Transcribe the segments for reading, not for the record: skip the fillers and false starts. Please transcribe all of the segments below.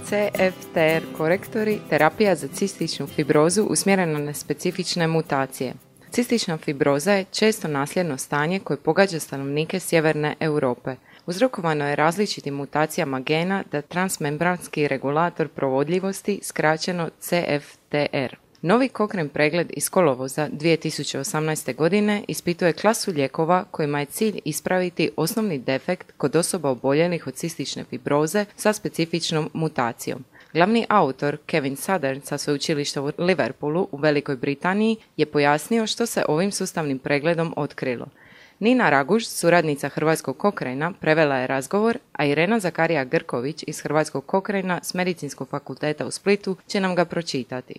CFTR korektori, terapija za cističnu fibrozu usmjerena na specifične mutacije. Cistična fibroza je često nasljedno stanje koje pogađa stanovnike sjeverne Europe. Uzrokovano je različitim mutacijama gena da transmembranski regulator provodljivosti, skraćeno CFTR. Novi Cochrane pregled iz kolovoza 2018. godine ispituje klasu lijekova kojima je cilj ispraviti osnovni defekt kod osoba oboljelih od cistične fibroze sa specifičnom mutacijom. Glavni autor Kevin Southern sa sveučilišta u Liverpoolu u Velikoj Britaniji je pojasnio što se ovim sustavnim pregledom otkrilo. Nina Raguž, suradnica Hrvatskog Cochrana, prevela je razgovor, a Irena Zakarija Grković iz Hrvatskog Cochrana s Medicinskog fakulteta u Splitu će nam ga pročitati.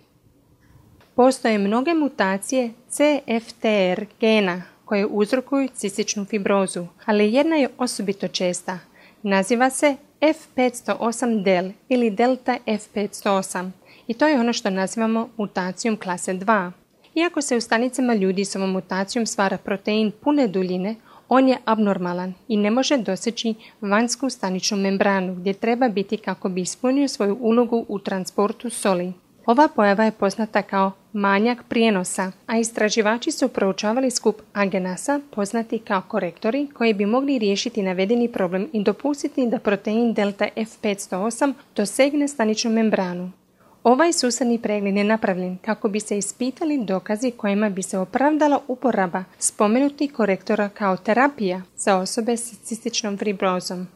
Postoje mnoge mutacije CFTR gena koje uzrokuju cističnu fibrozu, ali jedna je osobito česta. Naziva se F508del ili delta F508 i to je ono što nazivamo mutacijom klase 2. Iako se u stanicama ljudi s ovom mutacijom stvara protein pune duljine, on je abnormalan i ne može doseći vanjsku staničnu membranu gdje treba biti kako bi ispunio svoju ulogu u transportu soli. Ova pojava je poznata kao manjak prijenosa, a istraživači su proučavali skup agenasa, poznati kao korektori, koji bi mogli riješiti navedeni problem i dopustiti da protein delta F508 dosegne staničnu membranu. Ovaj sustavni pregled je napravljen kako bi se ispitali dokazi kojima bi se opravdala uporaba spomenutih korektora kao terapija za osobe s cističnom fibrozom.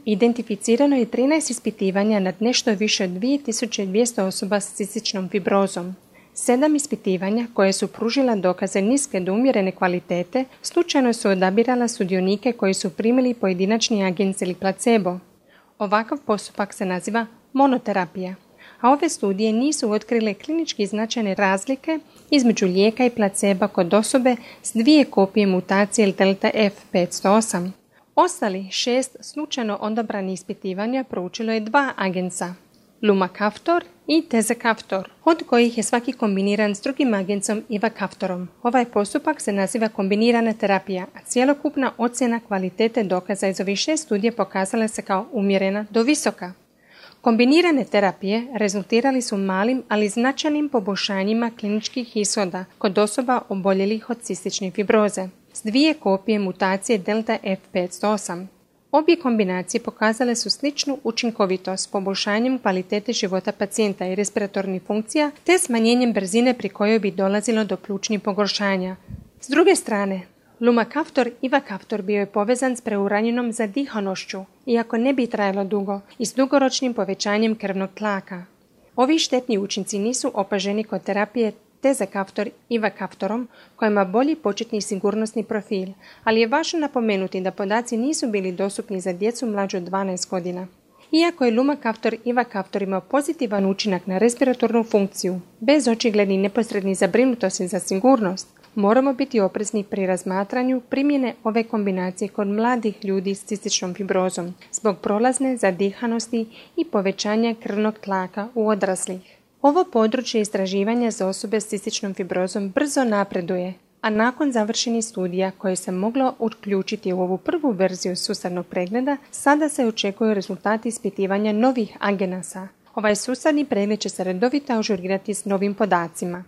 Identificirano je 13 ispitivanja nad nešto više od 2200 osoba s cističnom fibrozom. 7 ispitivanja koje su pružila dokaze niske do umjerene kvalitete slučajno su odabirala sudionike koji su primili pojedinačni agens ili placebo. Ovakav postupak se naziva monoterapija, a ove studije nisu otkrile klinički značajne razlike između lijeka i placeba kod osobe s 2 kopije mutacije delta F508. Ostali 6 slučajno odabranih ispitivanja proučilo je 2 agensa, lumacaftor i tezacaftor, od kojih je svaki kombiniran s drugim agensom ivacaftorom. Ovaj postupak se naziva kombinirana terapija, a cjelokupna ocjena kvalitete dokaza iz ovih 6 studija pokazala se kao umjerena do visoka. Kombinirane terapije rezultirali su malim, ali značajnim poboljšanjima kliničkih ishoda kod osoba oboljelih od cistične fibroze s 2 kopije mutacije delta F508. Obje kombinacije pokazale su sličnu učinkovitost s poboljšanjem kvalitete života pacijenta i respiratornih funkcija te smanjenjem brzine pri kojoj bi dolazilo do plućnih pogoršanja. S druge strane, lumacaftor i ivacaftor bio je povezan s preuranjenom zadihanošću, iako ne bi trajalo dugo, i s dugoročnim povećanjem krvnog tlaka. Ovi štetni učinci nisu opaženi kod terapije tezacaftor ivacaftorom koja ima bolji početni sigurnosni profil, ali je važno napomenuti da podaci nisu bili dostupni za djecu mlađu od 12 godina. Iako je lumacaftor ivacaftor imao pozitivan učinak na respiratornu funkciju, bez očiglednih neposrednih zabrinutosti za sigurnost, moramo biti oprezni pri razmatranju primjene ove kombinacije kod mladih ljudi s cističnom fibrozom zbog prolazne zadihanosti i povećanja krvnog tlaka u odraslih. Ovo područje istraživanja za osobe s cističnom fibrozom brzo napreduje, a nakon završenih studija koje se moglo uključiti u ovu prvu verziju sustavnog pregleda, sada se očekuju rezultati ispitivanja novih agenasa. Ovaj sustavni pregled će se redovito ažurirati s novim podacima.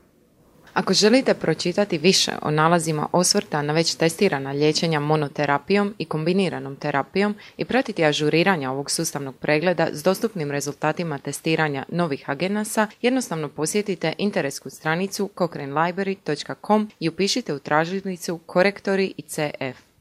Ako želite pročitati više o nalazima osvrta na već testirana liječenja monoterapijom i kombiniranom terapijom i pratiti ažuriranja ovog sustavnog pregleda s dostupnim rezultatima testiranja novih agenasa, jednostavno posjetite interesnu stranicu cochranelibrary.com i upišite u tražilicu korektori i CF.